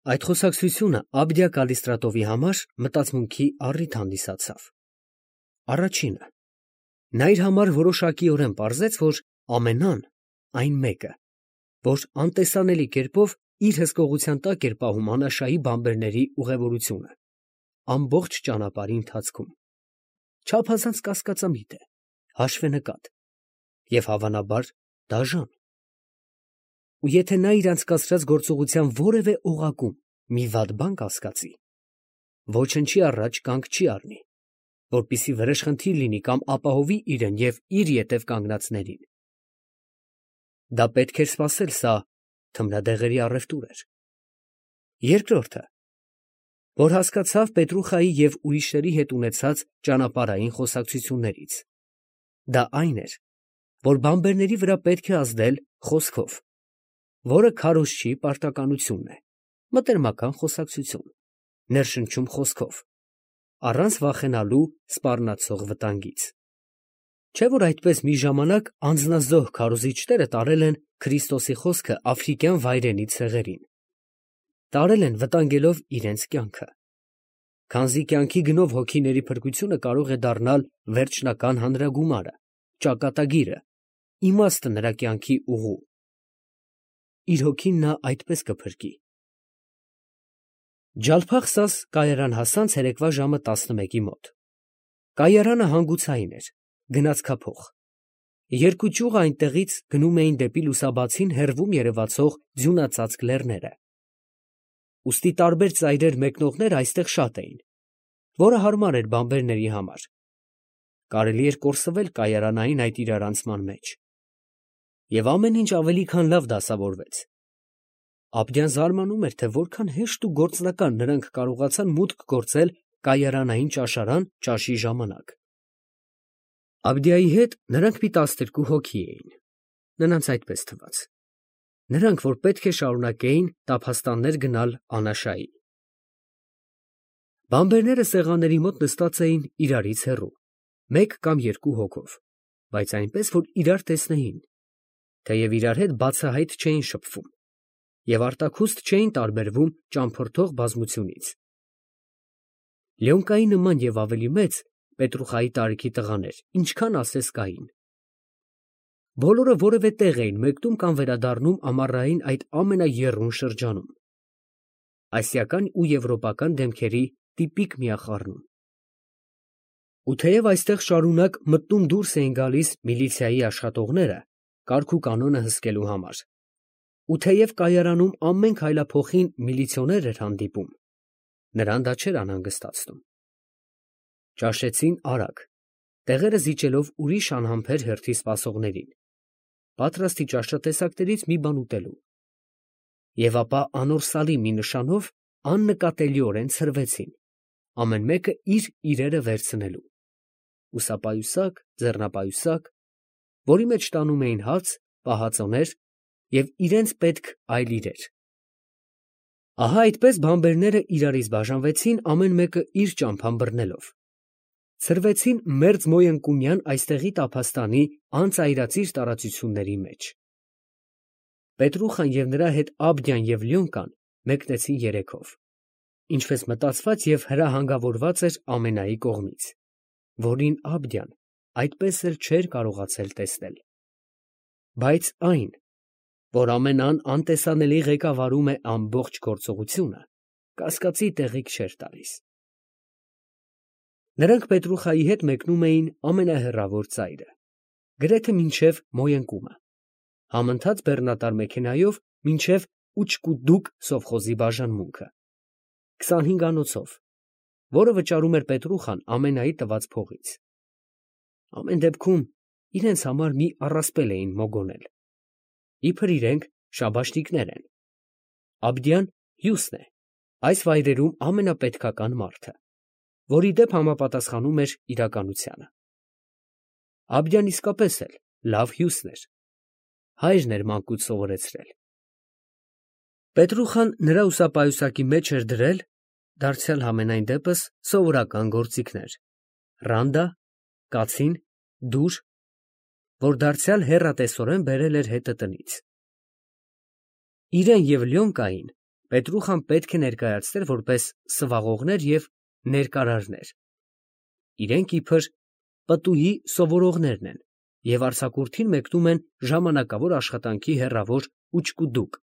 Այդ խոսակցությունը Աբդիա Կալիստրատովի համար մտածմունքի առիթ հանդիսացավ։ Առաջինը, նա իր համար որոշակիորեն պարզեց, որ ամենան այն մեկը, որ անտեսանելի կերպով իր հսկողության տակ էր պահում անաշայի բանբերների ուղևորությունը, ամբողջ ճանապարհի ընթացքում, չափազանց կասկածամիտ է, հաշվենկատ և հավանաբար դաժան։ Ու եթե նա իր անցկացրած գործողության որևէ օղակում մի վատ բան կասկածի, ոչնչի առաջ կանգ չի առնի, որպեսզի վրեժխնդիր լինի կամ ապահովի իրեն և իր ետև կանգնածներին։ Դա պետք էր սպասել, սա թմրադեղերի առևտուր էր։ Երկրորդը, որ հասկացավ Պետրուխայի և ուրիշների հետ ունեցած ճանապարհային խոսակցություններից, դա այն էր, որ բանբերների վրա պետք է ազդել խոսքով, որը քարոզչի պարտականությունն է, մտերմական խոսակցություն, ներշնչում խոսքով, առանց վախենալու սպառնացող վտանգից։ Չէ՞ որ այդպես մի ժամանակ անձնազոհ քարոզիչները տարել են Քրիստոսի խոսքը աֆրիկյան վայրենի ցեղերին, տարել են վտանգելով իրենց կյանքը, քանզի կյանքի գնով հոգիների փրկությունը կարող է դառնալ վերջնական հանրագումարը, ճակատագիրը, իմաստը նրա կյանքի ուղու։ Իր հոգին նա այդպես կփրկի։ Ջալփախսաս կայարան հասան ցերեկվա ժամը 11-ի մոտ։ Կայարանը հանգուցային էր, գնացքափոխ։ Երկու ճյուղը այնտեղից գնում էին դեպի լուսաբացին հեռվում երևացող ձյունածածկ լեռները։ Ուստի տարբեր ծայրեր մեկնողներ այստեղ շատ էին, որը հարմար էր բանբերների համար։ Կարելի էր կորսվել կայարանային այդ իրարանցման մեջ։ Եվ ամեն ինչ ավելի քան լավ դասավորվեց։ Աբդյան զարմանում էր, թե որքան հեշտ ու գործնական նրանք կարողացան մուտք գործել կայարանային ճաշարան ճաշի ժամանակ։ Աբդիայի հետ նրանք մի 12 հոգի էին, նրանց այդպես թվաց, նրանք, որ պետք է շարունակեին տափաստաններ գնալ Անաշայի։ Բանբերները սեղանների մոտ նստած էին իրարից հեռու, մեկ կամ երկու հոգով, բայց այնպես, որ իրար տեսնեին, թեև իրար հետ բացահայտ չէին շփվում և արտաքուստ չէին տարբերվում ճամփորդող բազմությունից։ Լյոնկայի նման և ավելի մեծ Պետրուխայի տարիքի տղաներ, ինչքան ասես կային։ Բոլորը որևէ տեղ էին մեկնում կամ վերադառնում ամառային այդ ամենաեռուն շրջանում, ասիական ու եվրոպական դեմքերի տիպիկ միախառնում։ Ու թեև այստեղ շարունակ մտնում դուրս էին գալիս միլիցիայի աշխատողները կարգ ու կանոնը հսկելու համար, ու թեև կայարանում ամեն քայլափոխին միլիցիոներ էր հանդիպում, նրան դա չէր անհանգստացնում։ Ճաշեցին արագ, տեղերը զիջելով ուրիշ անհամբեր հերթի սպասողներին, պատրաստի ճաշատեսակներից մի բան ուտելու։ Եվ ապա անորսալի մի նշանով աննկատելիորեն ցրվեցին, ամեն մեկը իր իրերը վերցնելու, ուսապայուսակ, ձեռնապայուսակ, որի մեջ տանում էին հաց, պահածոներ և իրենց պետք այլ իրեր։ Ահա այդպես բանբերները իրարից բաժանվեցին, ամեն մեկը իր ճամփան բռնելով, ցրվեցին մերձ Մոյընկումյան այստեղի տափաստանի անծայրածիր տարածությունների մեջ։ Պետրուխան և նրա հետ Աբդյան և Լյոնկան մեկնեցին երեքով, ինչպես մտածված և հրահանգավորված էր Ամենայի կողմից, որին Աբդյան այդպես էլ չէր կարողացել տեսնել։ Բայց այն, որ ամենան անտեսանելի ղեկավարում է ամբողջ գործողությունը, կասկածի տեղիք չէր տալիս։ Նրանք Պետրուխայի հետ մեկնում էին ամենահեռավոր ծայրը, գրեթե մինչև Մոյընկումը, համընթաց բեռնատար մեքենայով մինչև Ուչկուդուկ սովխոզի բաժանմունքը, 25 անոցով, որը վճարում էր Պետրուխան Ամենայի տված փողից։ Ամեն դեպքում իրենց համար մի առասպել էին մոգոնել, իբր իրենք շաբաշտիկներ են։ Աբդյան հյուսն է, այս վայրերում ամենապետքական մարդը, որի դեպ համապատասխանում էր իրականությանը։ Աբդյան իսկապես էլ լավ հյուսն էր, հայրն էր մանկուց սովորեցրել։ Պետրուխան նրա ուսապայուսակի մեջ էր դրել, դարձյալ համենայն դեպս, սովորական գործիքներ՝ ռանդա, կացին, դուր, որ դարձյալ հեռատեսորեն բերել էր հետը տնից։ Իրեն և Լյոնկային Պետրուխան պետք է ներկայացներ որպես սվաղողներ և ներկարարներ։ Իրենք իբր պտուհի սովորողներն են և արձակուրդին մեկնում են ժամանակավոր աշխատանքի հեռավոր ուչկուդուկ,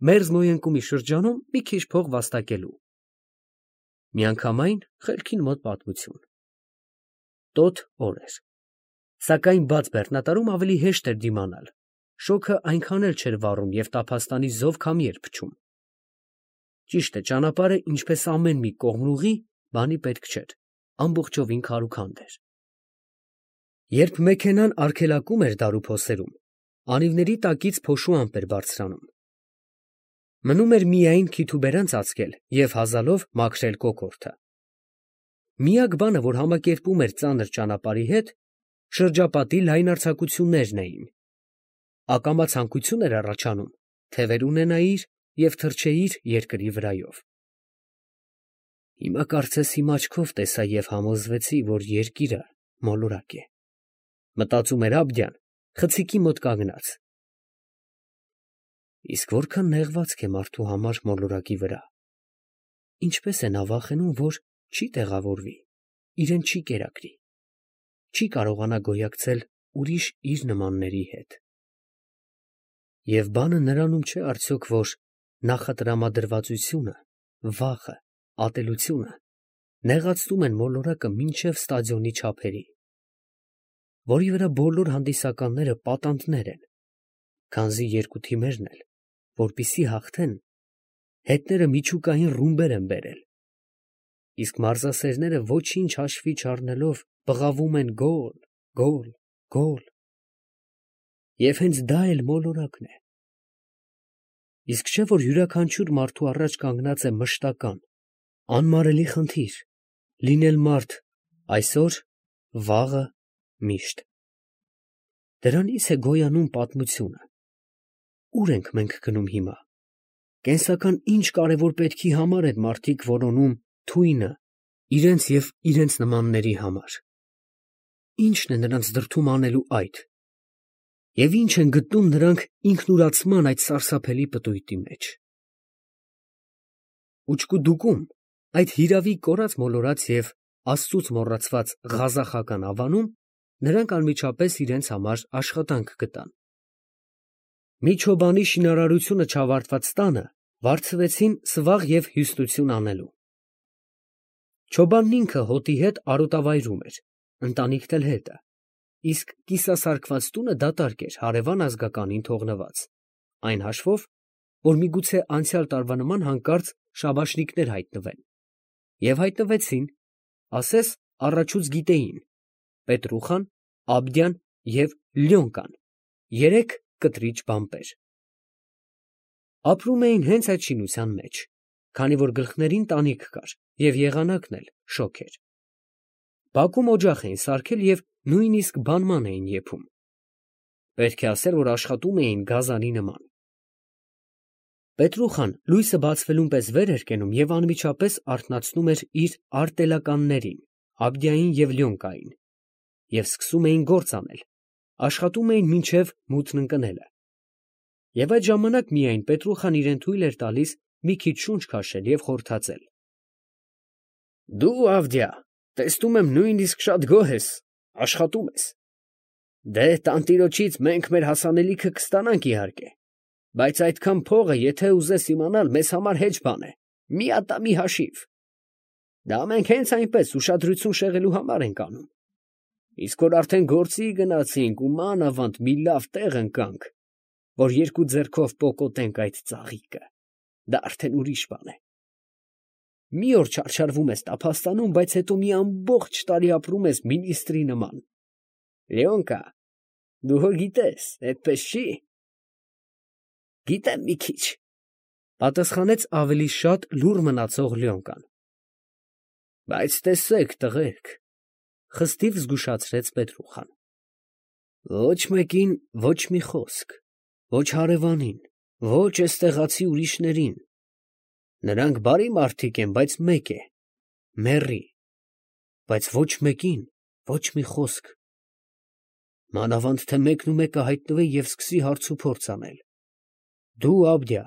մերձմոյընկումի շրջանում մի քիչ փող վաստակելու։ Միանգամայն խելքին մոտ պատմություն։ Տոտ օր էր, սակայն բաց բեռնատարում ավելի հեշտ էր դիմանալ, շոգը այնքան էլ չէր վառում և տափաստանի զով քամի էր փչում։ Ճիշտ է, ճանապարհը, ինչպես ամեն մի կողմնուղի, բանի պետք չէր, ամբողջովին քարուքանդ էր։ Երբ մեքենան արգելակում էր դարուփոսերում, անիվների տակից փոշու ամպ էր բարձրանում։ Մնում էր միայն քիթուբերան ծածկել և հազալով մաքրել կոկորդը։ Միակ բանը, որ համակերպում էր ծանր ճանապարհի հետ, շրջապատի լայնարձակություններն էին։ Ակամա ցանկություն էր առաջանում թևեր ունենայիր և թռչեիր երկրի վրայով։ Հիմա կարծես իմ աչքով տեսա և համոզվեցի, որ երկիրը մոլորակ է, մտածում էր Աբդյան, խցիկի մոտ կանգնած։ Իսկ որքան նեղվածք է մարդու համար մոլորակի վրա, ինչպես է նա վախենում, որ չի տեղավորվի, իրեն չի կերակրի, չի կարողանա գոյակցել ուրիշ իր նմանների հետ։ Եվ բանը նրանում չէ արդյոք, որ նախատրամադրվածությունը, վախը, ատելությունը նեղացնում են մոլորակը մինչև ստադիոնի չափերի, որի վրա բոլոր հանդիսականները պատանդներ են, քանզի երկու թիմերն էլ, որպեսզի հաղթեն, հետները միջուկային ռումբեր են բերել, իսկ մարզասերները ոչինչ հաշվի չառնելով բղավում են գոլ, գոլ, գոլ։ Եվ հենց դա էլ մոլորակն է։ Իսկ չէ՞ որ յուրաքանչյուր մարդու առաջ կանգնած է մշտական, անմարելի խնդիր՝ լինել մարդ այսօր, վաղը, միշտ։ Դրանից է գոյանում պատմությունը։ Ուր ենք մենք գնում հիմա։ Կենսական ինչ կարևոր պետքի համար են մարդիկ որոնում թույնը իրենց և իրենց նմանների համար։ Ի՞նչն է նրանց դրդում անելու այդ։ Եվ ի՞նչ են գտնում նրանք ինքնուրացման այդ սարսափելի պտույտի մեջ։ Ուչկուդուկում, այդ հիրավի կորած մոլորած և Աստծուց մոռացված ղազախական ավանում, նրանք անմիջապես իրենց համար աշխատանք գտան։ Մի չոբանի շինարարությունը չավարտված տանը վարձվեցին սվաղ և հյուստություն անելու։ Չոբանն ինքը հոտի հետ արոտավայրում էր, ընտանիքն էլ հետը, իսկ կիսասարքված տունը դատարկ էր հարևան ազգականին թողնված, այն հաշվով, որ միգուցե անցյալ տարվա նման հանկարծ շաբաշնիկներ հայտնվեն։ Եվ հայտնվեցին, ասես առաջուց գիտեին, Պետրուխան, Աբդյան և Լյոնկան, երեք կտրիչ բամպեր։ Ապրում էին հենց այդ շինության մեջ, քանի որ գլխներին տանիք կար և եղանակն էլ շոգ էր։ Բակում օջախ էին սարքել և նույնիսկ բանման էին եփում։ Պետք է ասել, որ աշխատում էին գազանի նման։ Պետրուխան լույսը բացվելուն պես վեր էր կենում և անմիջապես արթնացնում էր իր արտելականներին, Աբդյային և Լյոնկային, և սկսում էին գործ անել, աշխատում էին մինչև մութն ընկնելը։ Եվ այդ ժամանակ միայն Պետրուխան իրեն թույլ էր տալիս մի քիչ շունչ քաշել և խորհրդածել։ Դու, Ավդյա, տեսնում եմ նույնիսկ շատ գոհ ես, աշխատում ես։ Դե, տանտիրոջից մենք մեր հասանելիքը կստանանք իհարկե, բայց այդքան փողը, եթե ուզես իմանալ, մեզ համար հեչ բան է, մի ատամի հաշիվ։ Դա մենք հենց այնպես ուշադրություն շեղելու համար ենք անում։ Իսկ որ արդեն գործի գնացինք ու մանավանդ մի լավ տեղ ընկանք, որ երկու ձեռքով պոկոտենք այդ ծաղիկը, դա արդեն ուրիշ բան է։ Մի օր չարչարվում ես տափաստանում, բայց հետո մի ամբողջ տարի ապրում ես մինիստրի նման։ Լյոնկա, դու հո գիտես, այդպես չի։ Գիտեմ մի քիչ, պատասխանեց ավելի շատ լուռ մնացող Լյոնկան։ Բայց տեսեք, տղերք, խստիվ զգուշացրեց Պետրուխան, ոչ մեկին ոչ մի խոսք, ոչ հարևանին, ոչ էստեղացի ուրիշներին։ Նրանք բարի մարդիկ են, բայց մեկ է, մեռի, բայց ոչ մեկին ոչ մի խոսք։ Մանավանդ թե մեկն ու մեկը հայտնվի և սկսի հարցուփորձ անել։ Դու, Աբդյա,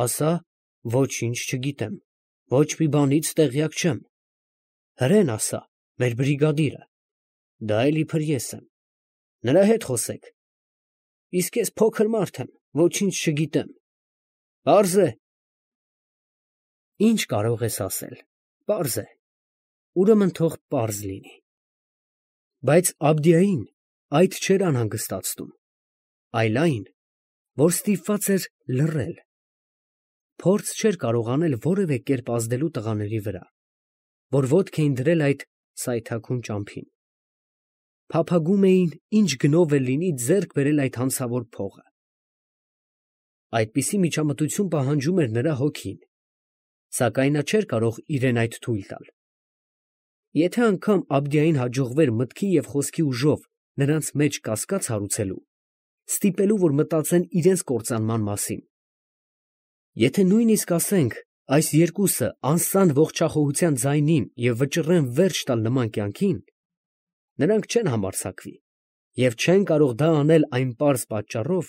ասա, Ոչինչ չգիտեմ, ոչ մի բանից տեղյակ չեմ։ Հրեն ասա, մեր բրիգադիրը, դա էլ իբր ես եմ, նրա հետ խոսեք։ Իսկ ես փոքր մարդ եմ, ոչինչ չգիտեմ։ Պարզ է։ Ինչ կարող ես ասել, պարզ է, ուրեմն թող պարզ լինի։ Բայց Աբդիային այդ չէր անհանգստացնում, այլ այն, որ ստիպված էր լռել։ Փորձ չէր կարող անել որևէ կերպ ազդելու տղաների վրա, որ ոտք էին դրել այդ սայթաքուն ճամփին։ Փափագում էին, ինչ գնով էլ լինի ձեռք բերել այդ հանցավոր փողը։ Այդպիսի միջամտություն պահանջում էր նրա հոգին, սակայն նա չէր կարող իրեն այդ թույլ տալ։ Եթե անգամ Աբդիային հաջողվեր մտքի և խոսքի ուժով նրանց մեջ կասկած հարուցելու, ստիպելու, որ մտածեն իրենց կործանման մասին, եթե նույնիսկ ասենք, այս երկուսը անսան ողջախոհության ձայնին և վճռեն վերջ տալ նման կյանքին, նրանք չեն համարձակվի և չեն կարող դա անել այն պարզ պատճառով,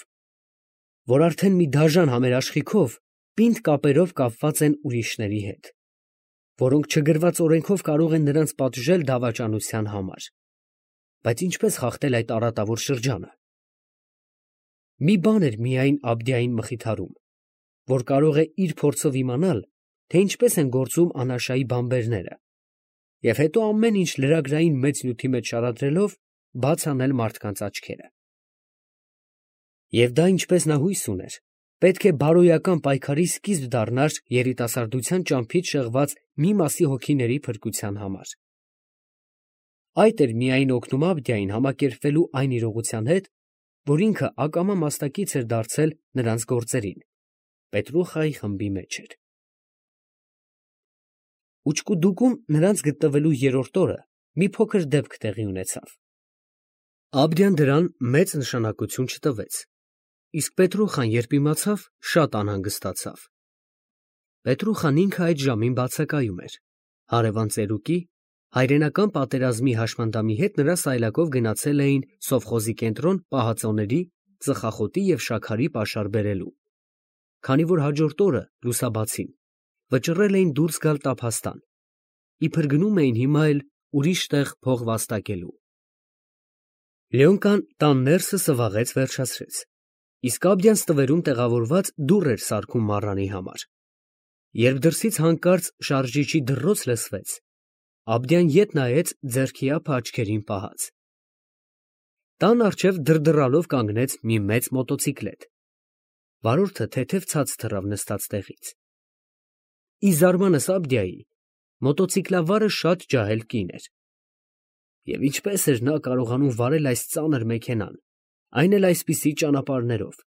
որ արդեն մի դաժան համերաշխիքով պինդ կապերով կապված են ուրիշների հետ, որոնք չգրված օրենքով կարող են նրանց պատժել դավաճանության համար։ Բայց ինչպես խախտել այդ արատավոր շրջանը։ Մի բան էր միայն Աբդիային մխիթարում, որ կարող է իր փորձով իմանալ, թե ինչպես են գործում անաշայի բանբերները, և հետո ամեն ինչ լրագրային մեծ նյութի մեջ շարադրելով բաց անել մարդկանց աչքերը։ Եվ դա, ինչպես նա հույս ուներ, պետք է բարոյական պայքարի սկիզբ դառնար երիտասարդության ճամփից շեղված մի մասի հոգիների փրկության համար։ Այդ էր միայն օգնում Աբդիային համակերպվելու այն իրողության հետ, որ ինքը ակամա մասնակից էր դարձել նրանց գործերին, Պետրուխայի խմբի մեջ էր։ Ուչկուդուկում նրանց գտնվելու երրորդ օրը մի փոքր դեպք տեղի ունեցավ։ Աբդիան դրան մեծ նշանակություն չտվեց, իսկ Պետրուխան, երբ իմացավ, շատ անհանգստացավ։ Պետրուխան ինքը այդ ժամին բացակայում էր, հարևան ծերուկի, հայրենական պատերազմի հաշմանդամի հետ նրա սայլակով գնացել էին սովխոզի կենտրոն պահածոների, ծխախոտի և շաքարի պաշար բերելու, քանի որ հաջորդ օրը, լուսաբացին, վճռել էին դուրս գալ տափաստան, իբր գնում էին հիմա էլ ուրիշ տեղ փող վաստակելու։ Լեոնկան տան ներսը սվաղեց վերջացրեց, իսկ Աբդյան ստվերում տեղավորված դուռ էր սարքում մառանի համար։ Երբ դրսից հանկարծ շարժիչի դռոց լսվեց, Աբդյան ետ նայեց ձեռքի ափը աչքերին պահած։ Տան առջև դրդռալով կանգնեց մի մեծ մոտոցիկլետ։ Վարորդը թեթև ցած թռավ նստած տեղից։ Ի զարմանս Աբդյայի, մոտոցիկլավարը շատ ջահել կին էր։ Եվ ինչպես էր նա կարողանում վարել այս ծանր մեքենան, այն էլ այսպիսի ճանապարհներով։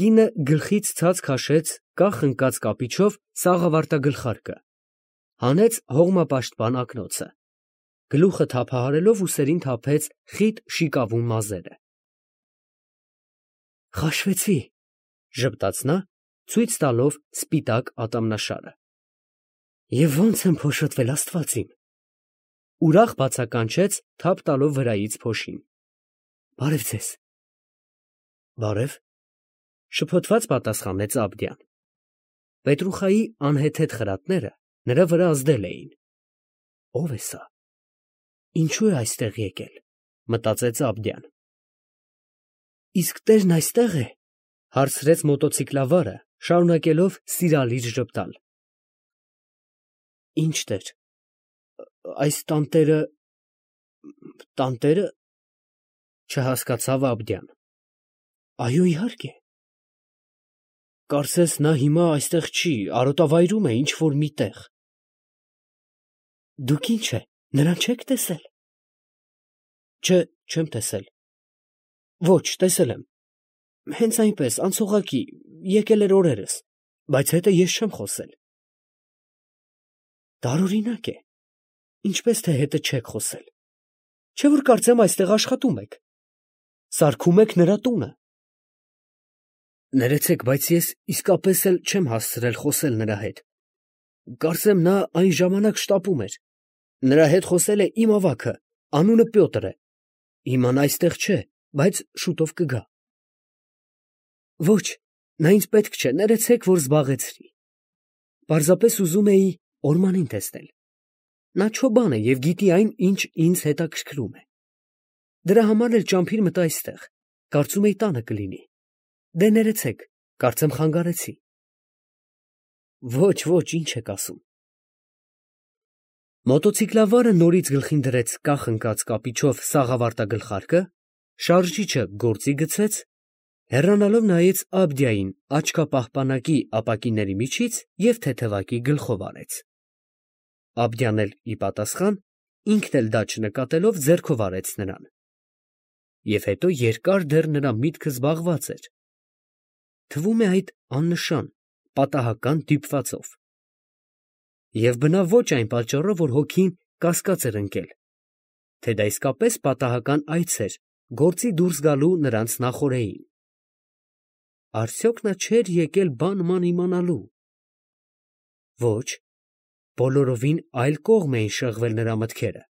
Կինը գլխից ցած քաշեց կախ ընկած կապիչով սաղավարտագլխարկը, հանեց հողմապաշտպան ակնոցը, գլուխը թափահարելով ուսերին թափեց խիտ շիկավուն մազերը։ «Խաշվեցի», ժպտաց նա, ցույց տալով սպիտակ ատամնաշարը։ «Եվ ո՞նց եմ փոշոտվել, Աստված իմ»։ Ուրախ բացականչեց, թափ տալով վրայից փոշին։ «Բարև ձեզ»։ «Բարև», շփոթված պատասխանեց Աբդյան։ Պետրուխայի անհեթեթ խրատները նրա վրա ազդել էին։ Ո՞վ է սա։ Ինչու է այստեղ եկել, մտածեց Աբդյան։ Իսկ տերն այստեղ է, հարցրեց մոտոցիկլավարը, շարունակելով սիրալիր ժպտալ։ Ինչ տեր։ Այս տանտերը, չհասկացավ Աբդյան։ Այո, իհարկե։ Կարծես նա հիմա այստեղ չի, արոտավայրում է ինչ-որ մի տեղ։ Դուք ինչ է, նրան չեք տեսել։ Չէ, չեմ տեսել։ Ոչ, տեսել եմ։ Հենց այնպես, անցողակի, եկել էր օրերս, բայց հետը ես չեմ խոսել։ Տարօրինակ է։ Ինչպես թե հետը չեք խոսել։ Չէ՞ որ կարծեմ այստեղ աշխատում եք։ Սարքում եք նրա տունը։ Ներեցեք, բայց ես իսկապես էլ չեմ հասցրել խոսել նրա հետ։ Կարծեմ նա այն ժամանակ շտապում էր։ Նրա հետ խոսել է իմ ավագը, անունը Պյոտր է։ Հիմա նա այստեղ չէ, բայց շուտով կգա։ Ոչ, Նա ինձ պետք չէ, ներեցեք, որ զբաղեցրի։ Պարզապես ուզում էի Օրմանին տեսնել։ Նա չոբան է և գիտի այն, ինչ ինձ հետաքրքրում է։ Դրա համար էլ ճամփիր մտա այստեղ, կարծում էի տանը կլինի։ Դե ներեցեք, կարծեմ խանգարեցի։ Ոչ, ոչ, ինչ եք ասում։ Մոտոցիկլավարը նորից գլխին դրեց կախ ընկած կապիչով սաղավարտագլխարկը, շարժիչը գործի գցեց, հեռանալով նայեց Աբդիային աչքապահպանակի ապակիների միջից և թեթևակի գլխով արեց։ Աբդյան էլ ի պատասխան, ինքն էլ դա չնկատելով, ձեռքով արեց նրան։ Եվ հետո երկար դեռ նրա միտքը զբաղված էր, թվում է այդ աննշան, պատահական դիպվածով։ Եվ բնավ ոչ այն պատճառով, որ հոգին կասկած էր ընկել, թե դա իսկապես պատահական այց էր գործի դուրս գալու նրանց նախօրեին։ Արդյոք նա չէր եկել բան իմանալու։ Ոչ, բոլորովին այլ կողմ էին շեղվել նրա մտքերը։